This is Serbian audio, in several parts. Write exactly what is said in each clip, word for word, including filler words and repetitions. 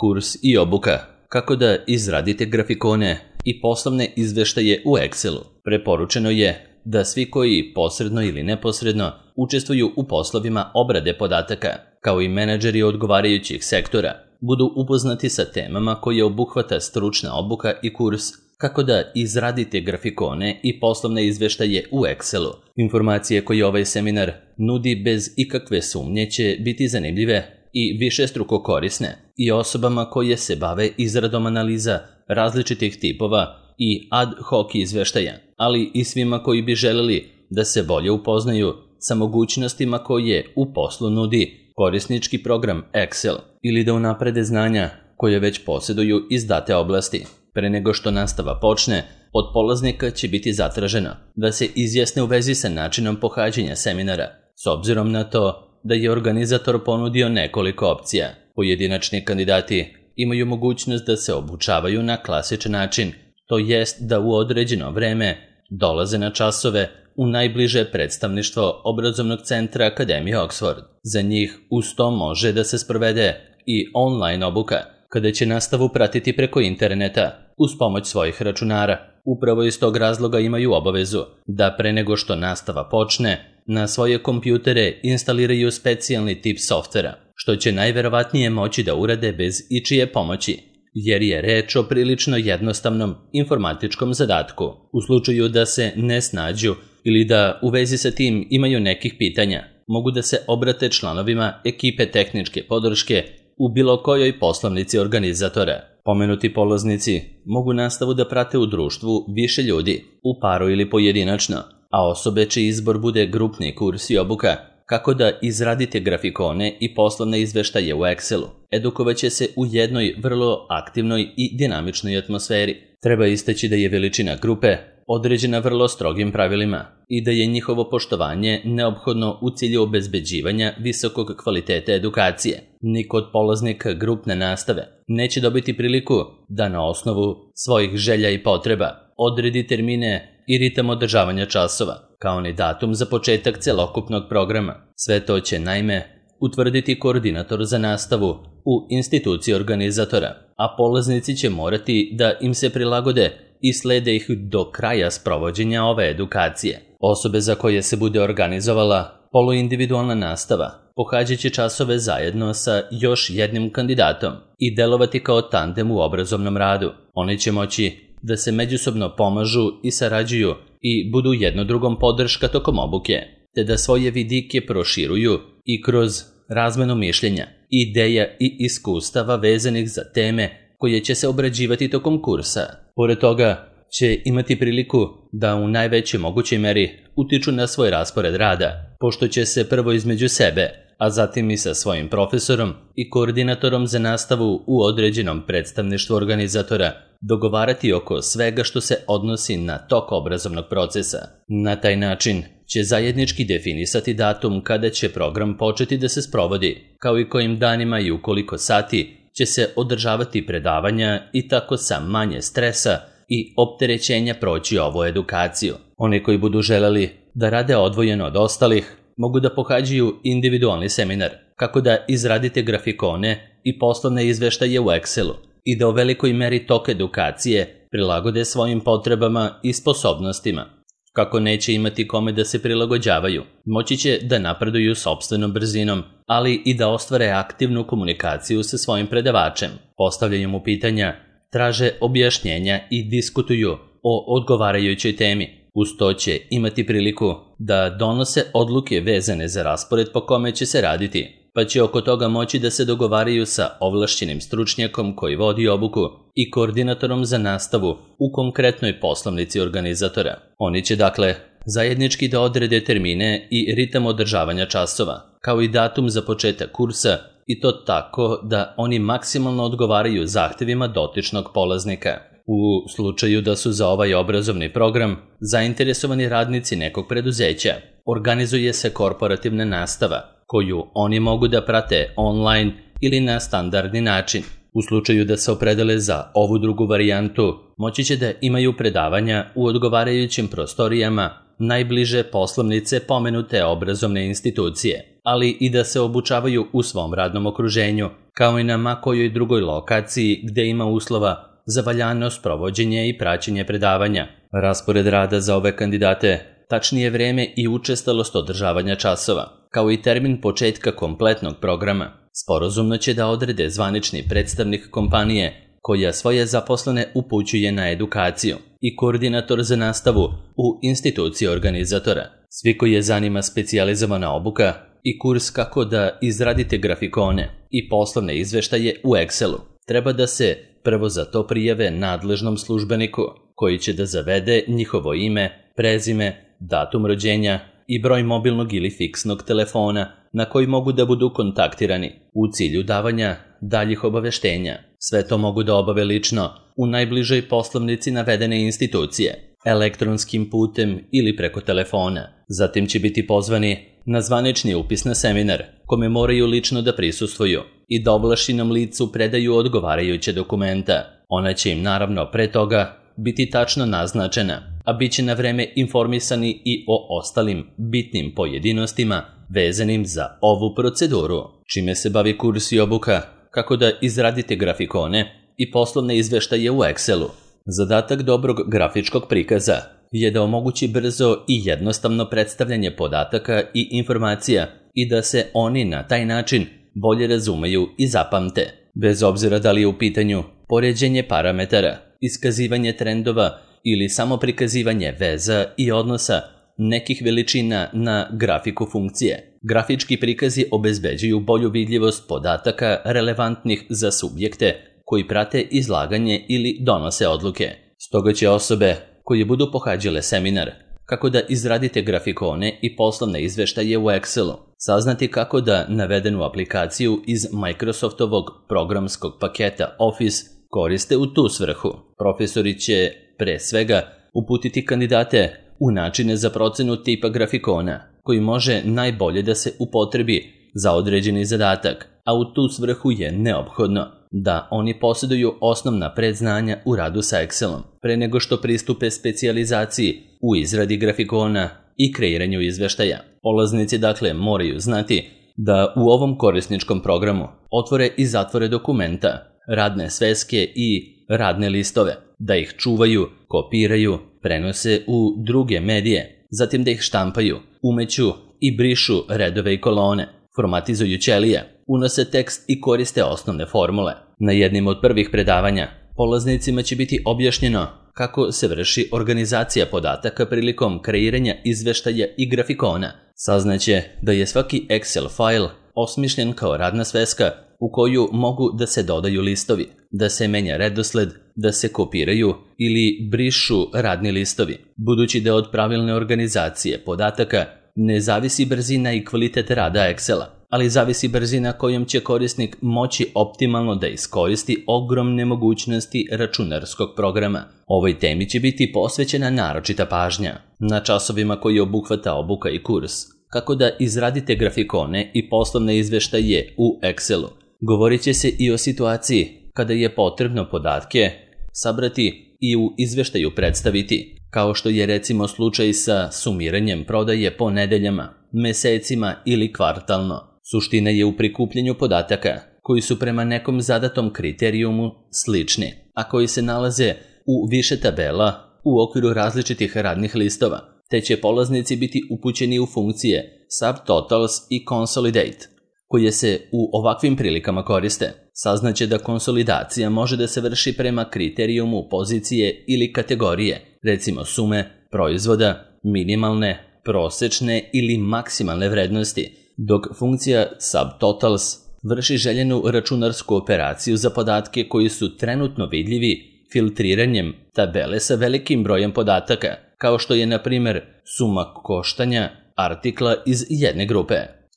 Kurs i obuka. Kako da izradite grafikone i poslovne izveštaje u Excelu. Preporučeno je da svi koji posredno ili neposredno učestvuju u poslovima obrade podataka, kao i menadžeri odgovarajućih sektora, budu upoznati sa temama koje obuhvata stručna obuka i kurs kako da izradite grafikone i poslovne izveštaje u Excelu. Informacije koje ovaj seminar nudi bez ikakve sumnje će biti zanimljive i višestruko korisne i osobama koje se bave izradom analiza različitih tipova i ad hoc izveštaja, ali i svima koji bi želeli da se bolje upoznaju sa mogućnostima koje u poslu nudi korisnički program Excel ili da unaprede znanja koje već posjeduju iz date oblasti. Pre nego što nastava počne, od polaznika će biti zatraženo da se izjasne u vezi sa načinom pohađanja seminara, s obzirom na to da je organizator ponudio nekoliko opcija. Pojedinačni kandidati imaju mogućnost da se obučavaju na klasičan način, to jest da u određeno vreme dolaze na časove u najbliže predstavništvo obrazovnog centra Akademije Oxford. Za njih uz to može da se sprovede i online obuka, kada će nastavu pratiti preko interneta uz pomoć svojih računara. Upravo iz tog razloga imaju obavezu da pre nego što nastava počne, na svoje kompjutere instaliraju specijalni tip softvera, što će najverovatnije moći da urade bez ičije pomoći, jer je reč o prilično jednostavnom informatičkom zadatku. U slučaju da se ne snađu ili da u vezi sa tim imaju nekih pitanja, mogu da se obrate članovima ekipe tehničke podrške u bilo kojoj poslovnici organizatora. Pomenuti polaznici mogu nastavu da prate u društvu više ljudi, u paru ili pojedinačno, a osobe čiji izbor bude grupni kurs i obuka, kako da izradite grafikone i poslovne izveštaje u Excelu, edukovaće se u jednoj vrlo aktivnoj i dinamičnoj atmosferi. Treba istaći da je veličina grupe određena vrlo strogim pravilima i da je njihovo poštovanje neophodno u cilju obezbeđivanja visokog kvaliteta edukacije. Niko od polaznika grupne nastave neće dobiti priliku da na osnovu svojih želja i potreba odredi termine i ritam održavanja časova, kao ni datum za početak celokupnog programa. Sve to će naime utvrditi koordinator za nastavu u instituciji organizatora, a polaznici će morati da im se prilagode i slede ih do kraja sprovođenja ove edukacije. Osobe za koje se bude organizovala poluindividualna nastava pohađat će časove zajedno sa još jednim kandidatom i delovati kao tandem u obrazovnom radu. Oni će moći da se međusobno pomažu i sarađuju i budu jedno drugom podrška tokom obuke, te da svoje vidike proširuju i kroz razmenu mišljenja, ideja i iskustava vezanih za teme koje će se obrađivati tokom kursa. Pored toga će imati priliku da u najvećoj mogućoj meri utiču na svoj raspored rada, pošto će se prvo između sebe, a zatim i sa svojim profesorom i koordinatorom za nastavu u određenom predstavništvu organizatora dogovarati oko svega što se odnosi na tok obrazovnog procesa. Na taj način će zajednički definisati datum kada će program početi da se sprovodi, kao i kojim danima i u koliko sati će se održavati predavanja i tako sa manje stresa i opterećenja proći ovu edukaciju. Oni koji budu želeli da rade odvojeno od ostalih, mogu da pohađaju individualni seminar, kako da izradite grafikone i poslovne izveštaje u Excelu i da u velikoj meri tok edukacije prilagode svojim potrebama i sposobnostima. Kako neće imati kome da se prilagođavaju, moći će da napreduju sopstvenom brzinom, ali i da ostvare aktivnu komunikaciju sa svojim predavačem. Postavljaju mu pitanja, traže objašnjenja i diskutuju o odgovarajućoj temi. Uz to će imati priliku da donose odluke vezane za raspored po kome će se raditi, pa će oko toga moći da se dogovaraju sa ovlašćenim stručnjakom koji vodi obuku i koordinatorom za nastavu u konkretnoj poslovnici organizatora. Oni će dakle zajednički da odrede termine i ritam održavanja časova, kao i datum za početak kursa, i to tako da oni maksimalno odgovaraju zahtevima dotičnog polaznika. U slučaju da su za ovaj obrazovni program zainteresovani radnici nekog preduzeća, organizuje se korporativna nastava, koju oni mogu da prate online ili na standardni način. U slučaju da se opredele za ovu drugu varijantu, moći će da imaju predavanja u odgovarajućim prostorijama najbliže poslovnice pomenute obrazovne institucije. ali i da se obučavaju u svom radnom okruženju, kao i na ma kojoj drugoj lokaciji gde ima uslova za valjano sprovođenje i praćenje predavanja. Raspored rada za ove kandidate, tačnije vreme i učestalost održavanja časova, kao i termin početka kompletnog programa, sporazumno će da odrede zvanični predstavnik kompanije koja svoje zaposlene upućuje na edukaciju i koordinator za nastavu u instituciji organizatora. Svi koji je zanima specijalizovana obuka i kurs kako da izradite grafikone i poslovne izveštaje u Excelu, treba da se prvo za to prijave nadležnom službeniku koji će da zavede njihovo ime, prezime, datum rođenja i broj mobilnog ili fiksnog telefona na koji mogu da budu kontaktirani u cilju davanja daljih obaveštenja. Sve to mogu da obave lično u najbližoj poslovnici navedene institucije, elektronskim putem ili preko telefona. Zatim će biti pozvani na zvanični upis na seminar, kome moraju lično da prisustvuju i da ovlašćenom licu predaju odgovarajuće dokumenta. Ona će im naravno pre toga biti tačno naznačena, a bit će na vreme informisani i o ostalim bitnim pojedinostima vezanim za ovu proceduru. Čime se bavi kurs i obuka, kako da izradite grafikone i poslovne izveštaje u Excelu. Zadatak dobrog grafičkog prikaza je da omogući brzo i jednostavno predstavljanje podataka i informacija i da se oni na taj način bolje razumeju i zapamte. Bez obzira da li je u pitanju poređenje parametara, iskazivanje trendova ili samo prikazivanje veza i odnosa nekih veličina na grafiku funkcije. Grafički prikazi obezbeđuju bolju vidljivost podataka relevantnih za subjekte koji prate izlaganje ili donose odluke. Stoga će osobe koje budu pohađale seminar kako da izradite grafikone i poslovne izveštaje u Excelu saznati kako da navedenu aplikaciju iz Microsoftovog programskog paketa Office koriste u tu svrhu. Profesori će, pre svega, uputiti kandidate u načine za procenu tipa grafikona, koji može najbolje da se upotrebi za određeni zadatak, a u tu svrhu je neophodno da oni posjeduju osnovna predznanja u radu sa Excelom, pre nego što pristupe specijalizaciji u izradi grafikona i kreiranju izveštaja. Polaznici dakle moraju znati da u ovom korisničkom programu otvore i zatvore dokumenta, radne sveske i radne listove, da ih čuvaju, kopiraju, prenose u druge medije, zatim da ih štampaju, umeću i brišu redove i kolone, formatizuju ćelije, unose tekst i koriste osnovne formule. Na jednim od prvih predavanja polaznicima će biti objašnjeno kako se vrši organizacija podataka prilikom kreiranja izveštaja i grafikona. Saznaće da je svaki Excel fajl osmišljen kao radna sveska u koju mogu da se dodaju listovi, da se menja redosled, da se kopiraju ili brišu radni listovi. Budući da od pravilne organizacije podataka ne zavisi brzina i kvalitet rada Excela, ali zavisi brzina kojom će korisnik moći optimalno da iskoristi ogromne mogućnosti računarskog programa. Ovoj temi će biti posvećena naročita pažnja na časovima koji obuhvata obuka i kurs, kako da izradite grafikone i poslovne izveštaje u Excelu. Govorit će se i o situaciji kada je potrebno podatke sabrati i u izveštaju predstaviti, kao što je recimo slučaj sa sumiranjem prodaje po nedeljama, mesecima ili kvartalno. Suština je u prikupljanju podataka koji su prema nekom zadatom kriterijumu slični, a koji se nalaze u više tabela u okviru različitih radnih listova, te će polaznici biti upućeni u funkcije subtotals i consolidate, koje se u ovakvim prilikama koriste. Saznaće da konsolidacija može da se vrši prema kriterijumu pozicije ili kategorije, recimo sume, proizvoda, minimalne, prosečne ili maksimalne vrednosti, dok funkcija subtotals vrši željenu računarsku operaciju za podatke koji su trenutno vidljivi filtriranjem tabele sa velikim brojem podataka, kao što je, na primjer, suma koštanja artikla iz jedne grupe.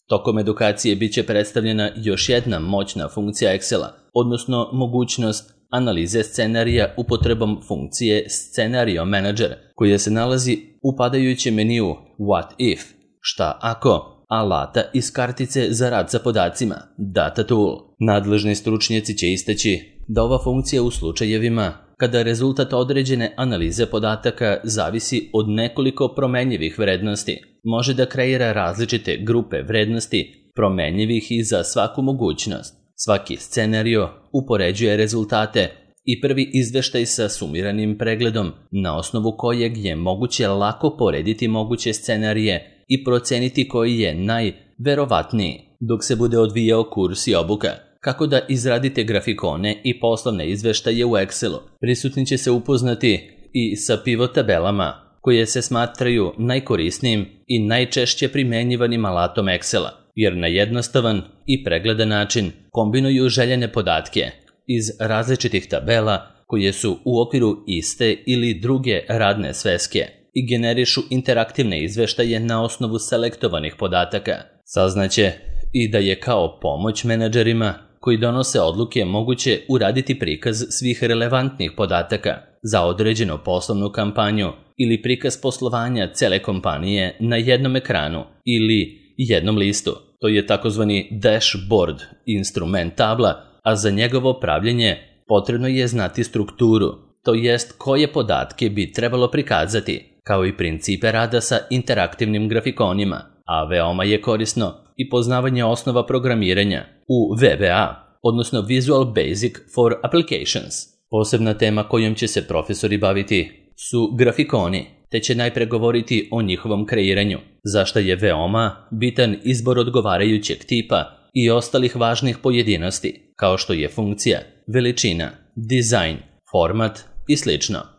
Tokom edukacije bit će predstavljena još jedna moćna funkcija Excela, odnosno mogućnost analize scenarija upotrebom funkcije Scenario Manager, koja se nalazi u padajućem meniju What If, šta ako, alata iz kartice za rad sa podacima, Data Tool. Nadležni stručnjaci će istaći da ova funkcija u slučajevima kada rezultat određene analize podataka zavisi od nekoliko promenjivih vrednosti, može da kreira različite grupe vrednosti promenjivih i za svaku mogućnost. Svaki scenario upoređuje rezultate i prvi izveštaj sa sumiranim pregledom, na osnovu kojeg je moguće lako porediti moguće scenarije i proceniti koji je najverovatniji dok se bude odvijao kurs i obuka. Kako da izradite grafikone i poslovne izveštaje u Excelu. Prisutni će se upoznati i sa pivot tabelama, koje se smatraju najkorisnijim i najčešće primenjivanim alatom Excela, jer na jednostavan i pregledan način kombinuju željene podatke iz različitih tabela koje su u okviru iste ili druge radne sveske i generišu interaktivne izveštaje na osnovu selektovanih podataka. Saznaće i da je kao pomoć menadžerima koji donose odluke moguće uraditi prikaz svih relevantnih podataka za određenu poslovnu kampanju ili prikaz poslovanja cele kompanije na jednom ekranu ili jednom listu. To je takozvani dashboard, instrument tabla, a za njegovo pravljenje potrebno je znati strukturu, to jest koje podatke bi trebalo prikazati, kao i principe rada sa interaktivnim grafikonima, a veoma je korisno i poznavanje osnova programiranja u V B A, odnosno Visual Basic for Applications. Posebna tema kojom će se profesori baviti su grafikoni, te će najpre govoriti o njihovom kreiranju, zašto je veoma bitan izbor odgovarajućeg tipa i ostalih važnih pojedinosti, kao što je funkcija, veličina, dizajn, format i sl.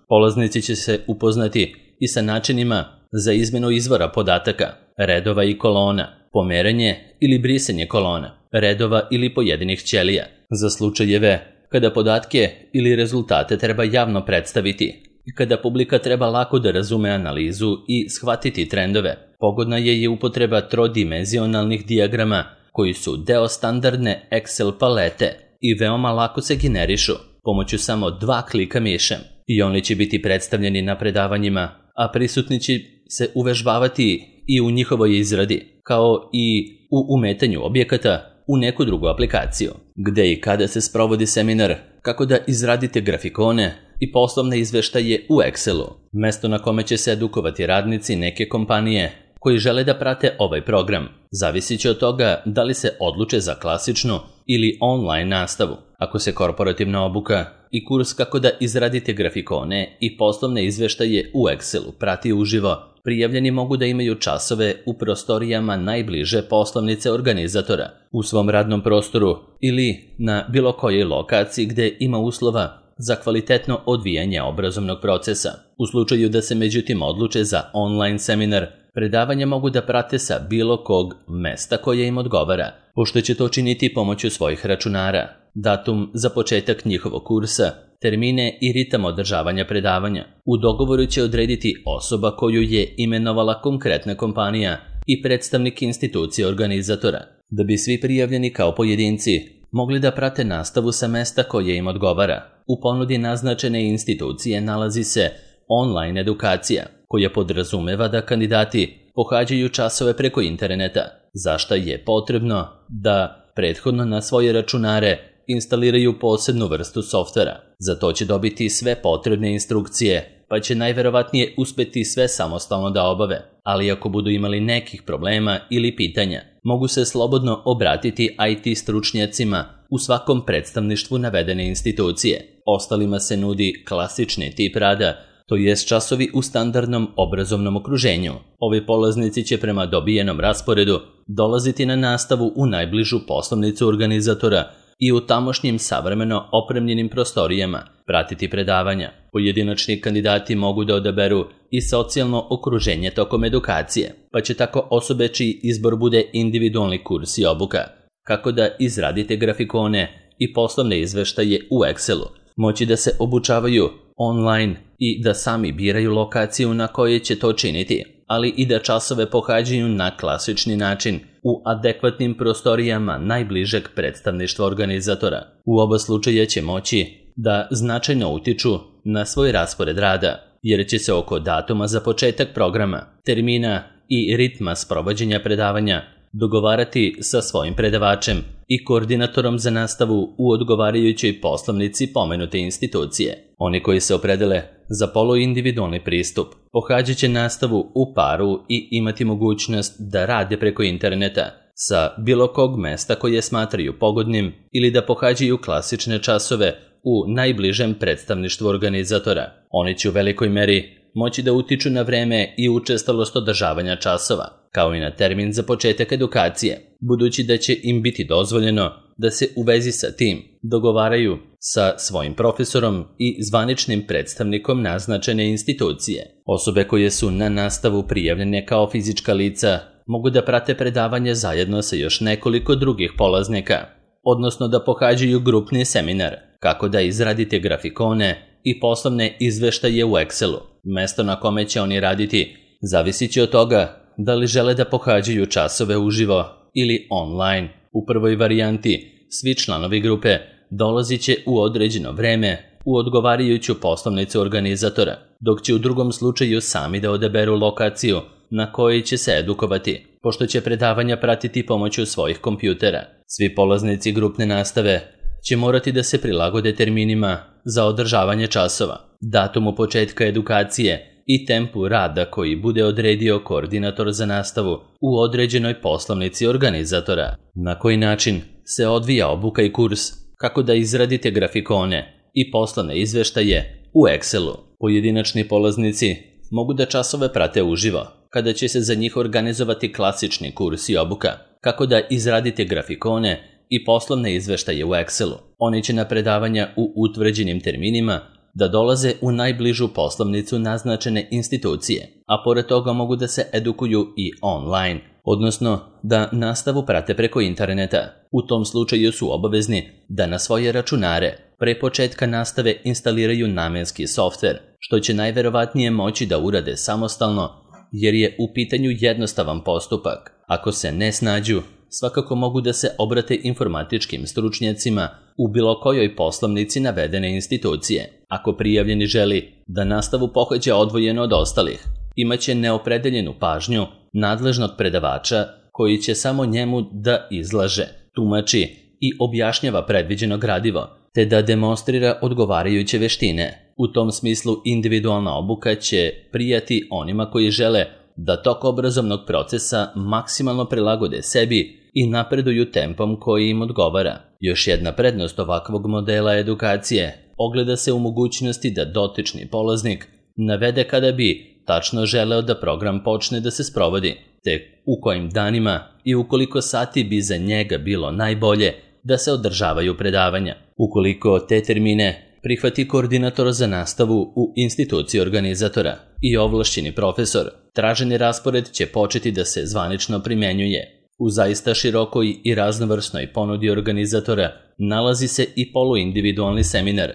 Polaznici će se upoznati i sa načinima za izmenu izvora podataka, redova i kolona, pomeranje ili brisanje kolona, redova ili pojedinih ćelija, za slučajeve kada podatke ili rezultate treba javno predstaviti i kada publika treba lako da razume analizu i shvatiti trendove. Pogodna je i upotreba trodimenzionalnih dijagrama koji su deo standardne Excel palete i veoma lako se generišu pomoću samo dva klika mišem i oni će biti predstavljeni na predavanjima, a prisutni će se uvežbavati i u njihovoj izradi, kao i u umetanju objekata u neku drugu aplikaciju. Gde i kada se sprovodi seminar, kako da izradite grafikone i poslovne izveštaje u Excelu, mesto na kome će se edukovati radnici neke kompanije koji žele da prate ovaj program. Zavisit će od toga da li se odluče za klasičnu ili online nastavu. Ako se korporativna obuka i kurs kako da izradite grafikone i poslovne izveštaje u Excelu prati uživo, prijavljeni mogu da imaju časove u prostorijama najbliže poslovnice organizatora, u svom radnom prostoru ili na bilo kojoj lokaciji gde ima uslova za kvalitetno odvijanje obrazovnog procesa. U slučaju da se međutim odluče za online seminar, predavanja mogu da prate sa bilo kog mesta koje im odgovara, pošto će to činiti pomoću svojih računara, datum za početak njihovog kursa, termine i ritam održavanja predavanja. U dogovoru će odrediti osoba koju je imenovala konkretna kompanija i predstavnik institucije organizatora, da bi svi prijavljeni kao pojedinci mogli da prate nastavu sa mesta koje im odgovara. U ponudi naznačene institucije nalazi se online edukacija, koja podrazumeva da kandidati pohađaju časove preko interneta, za šta je potrebno da prethodno na svoje računare instaliraju posebnu vrstu softvera. Za to će dobiti sve potrebne instrukcije, pa će najverovatnije uspeti sve samostalno da obave, ali ako budu imali nekih problema ili pitanja, mogu se slobodno obratiti I T stručnjacima u svakom predstavništvu navedene institucije. Ostalima se nudi klasični tip rada, to jest časovi u standardnom obrazovnom okruženju. Ovi polaznici će prema dobijenom rasporedu dolaziti na nastavu u najbližu poslovnicu organizatora i u tamošnjim savremeno opremljenim prostorijama pratiti predavanja. Pojedinačni kandidati mogu da odaberu i socijalno okruženje tokom edukacije, pa će tako osobe čiji izbor bude individualni kurs i obuka, kako da izradite grafikone i poslovne izveštaje u Excelu, moći da se obučavaju online i da sami biraju lokaciju na kojoj će to činiti, ali i da časove pohađaju na klasični način u adekvatnim prostorijama najbližeg predstavništva organizatora. U oba slučaja će moći da značajno utiču na svoj raspored rada, jer će se oko datuma za početak programa, termina i ritma sprovođenja predavanja dogovarati sa svojim predavačem i koordinatorom za nastavu u odgovarajućoj poslovnici pomenute institucije. Oni koji se opredele za poluindividualni pristup pohađat će nastavu u paru i imati mogućnost da rade preko interneta sa bilo kog mesta koje smatraju pogodnim ili da pohađaju klasične časove u najbližem predstavništvu organizatora. Oni će u velikoj meri moći da utiču na vreme i učestalost održavanja časova, kao i na termin za početak edukacije, budući da će im biti dozvoljeno da se u vezi sa tim dogovaraju sa svojim profesorom i zvaničnim predstavnikom naznačene institucije. Osobe koje su na nastavu prijavljene kao fizička lica mogu da prate predavanje zajedno sa još nekoliko drugih polaznika, odnosno da pohađaju grupni seminar, kako da izradite grafikone i poslovne izveštaje u Excelu. Mesto na kome će oni raditi zavisit će od toga da li žele da pohađaju časove uživo ili online. U prvoj varijanti svi članovi grupe dolazit će u određeno vreme u odgovarajuću poslovnicu organizatora, dok će u drugom slučaju sami da odaberu lokaciju na kojoj će se edukovati, pošto će predavanja pratiti pomoću svojih kompjutera. Svi polaznici grupne nastave će morati da se prilagode terminima za održavanje časova, datumu početka edukacije i tempu rada koji bude odredio koordinator za nastavu u određenoj poslovnici organizatora. Na koji način se odvija obuka i kurs, kako da izradite grafikone i poslovne izveštaje u Excelu. Pojedinačni polaznici mogu da časove prate uživo, kada će se za njih organizovati klasični kurs i obuka, kako da izradite grafikone i poslovne izveštaje u Excelu. Oni će na predavanja u utvrđenim terminima da dolaze u najbližu poslovnicu naznačene institucije, a pored toga mogu da se edukuju i online, odnosno da nastavu prate preko interneta. U tom slučaju su obavezni da na svoje računare pre početka nastave instaliraju namenski softver, što će najverovatnije moći da urade samostalno, jer je u pitanju jednostavan postupak. Ako se ne snađu, svakako mogu da se obrate informatičkim stručnjacima u bilo kojoj poslovnici navedene institucije. Ako prijavljeni želi da nastavu pohađa odvojeno od ostalih, imaće neopredeljenu pažnju nadležnog predavača koji će samo njemu da izlaže, tumači i objašnjava predviđeno gradivo, te da demonstrira odgovarajuće veštine. U tom smislu individualna obuka će prijati onima koji žele da tok obrazovnog procesa maksimalno prilagode sebi i napreduju tempom koji im odgovara. Još jedna prednost ovakvog modela edukacije ogleda se u mogućnosti da dotični polaznik navede kada bi tačno želeo da program počne da se sprovodi, te u kojim danima i u koliko sati bi za njega bilo najbolje da se održavaju predavanja. Ukoliko te termine prihvati koordinator za nastavu u instituciji organizatora i ovlašćeni profesor, traženi raspored će početi da se zvanično primenjuje. U zaista širokoj i raznovrsnoj ponudi organizatora nalazi se i poluindividualni seminar,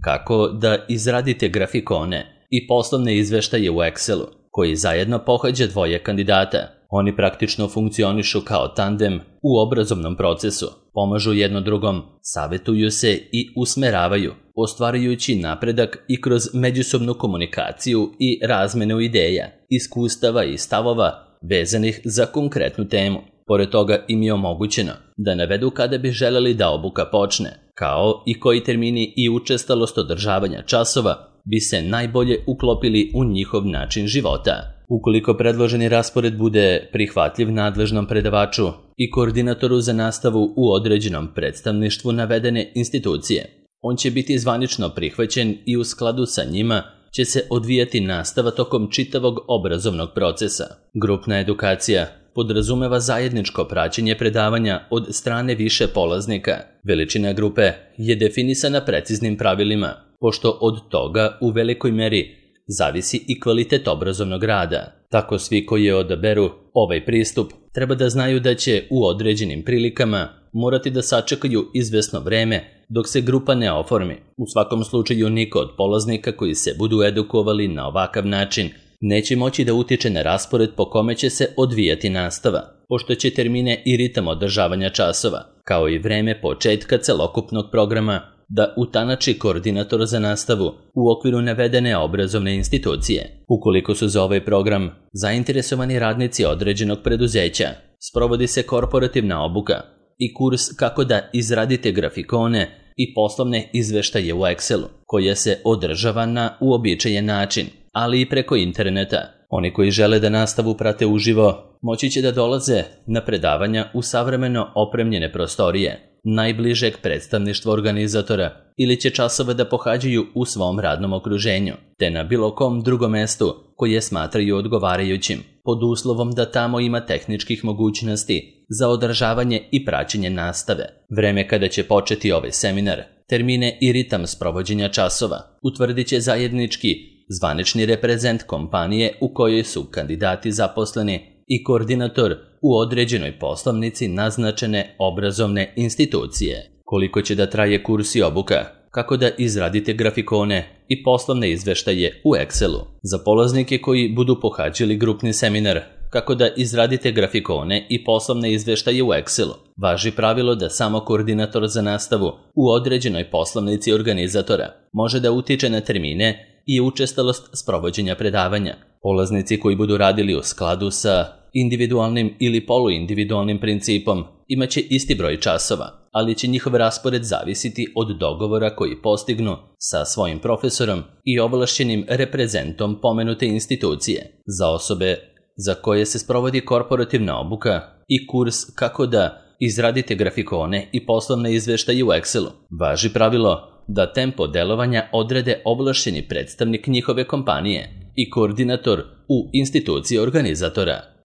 kako da izradite grafikone i poslovne izveštaje u Excelu, koji zajedno pohađa dvoje kandidata. Oni praktično funkcionišu kao tandem u obrazovnom procesu, pomažu jedno drugom, savetuju se i usmeravaju, ostvarujući napredak i kroz međusobnu komunikaciju i razmenu ideja, iskustava i stavova vezanih za konkretnu temu. Pored toga im je omogućeno da navedu kada bi želeli da obuka počne, kao i koji termini i učestalost održavanja časova bi se najbolje uklopili u njihov način života. Ukoliko predloženi raspored bude prihvatljiv nadležnom predavaču i koordinatoru za nastavu u određenom predstavništvu navedene institucije, on će biti zvanično prihvaćen i u skladu sa njima će se odvijati nastava tokom čitavog obrazovnog procesa. Grupna edukacija podrazumeva zajedničko praćenje predavanja od strane više polaznika. Veličina grupe je definisana preciznim pravilima, pošto od toga u velikoj meri zavisi i kvalitet obrazovnog rada. Tako svi koji odaberu ovaj pristup treba da znaju da će u određenim prilikama morati da sačekaju izvesno vreme dok se grupa ne oformi. U svakom slučaju niko od polaznika koji se budu edukovali na ovakav način neće moći da utiče na raspored po kome će se odvijati nastava, pošto će termine i ritam održavanja časova, kao i vreme početka celokupnog programa, da utanači koordinator za nastavu u okviru navedene obrazovne institucije. Ukoliko su za ovaj program zainteresovani radnici određenog preduzeća, sprovodi se korporativna obuka i kurs kako da izradite grafikone i poslovne izveštaje u Excelu, koja se održava na uobičajen način, ali i preko interneta. Oni koji žele da nastavu prate uživo, moći će da dolaze na predavanja u savremeno opremljene prostorije najbližeg predstavništva organizatora ili će časove da pohađaju u svom radnom okruženju, te na bilo kom drugom mestu koje smatraju odgovarajućim, pod uslovom da tamo ima tehničkih mogućnosti za održavanje i praćenje nastave. Vreme kada će početi ovaj seminar, termine i ritam sprovođenja časova utvrdit će zajednički zvanični reprezent kompanije u kojoj su kandidati zaposleni i koordinator u određenoj poslovnici naznačene obrazovne institucije. Koliko će da traje kurs i obuka? Kako da izradite grafikone i poslovne izveštaje u Excelu? Za polaznike koji budu pohađali grupni seminar kako da izradite grafikone i poslovne izveštaje u Excelu, važi pravilo da samo koordinator za nastavu u određenoj poslovnici organizatora može da utiče na termine i učestalost sprovođenja predavanja. Polaznici koji budu radili u skladu sa individualnim ili poluindividualnim principom imaće isti broj časova, ali će njihov raspored zavisiti od dogovora koji postignu sa svojim profesorom i ovlašćenim reprezentom pomenute institucije. Za osobe za koje se sprovodi korporativna obuka i kurs kako da izradite grafikone i poslovne izveštaje u Excelu, važi pravilo da tempo delovanja odrede ovlašćeni predstavnik njihove kompanije i koordinator u instituciji organizatora.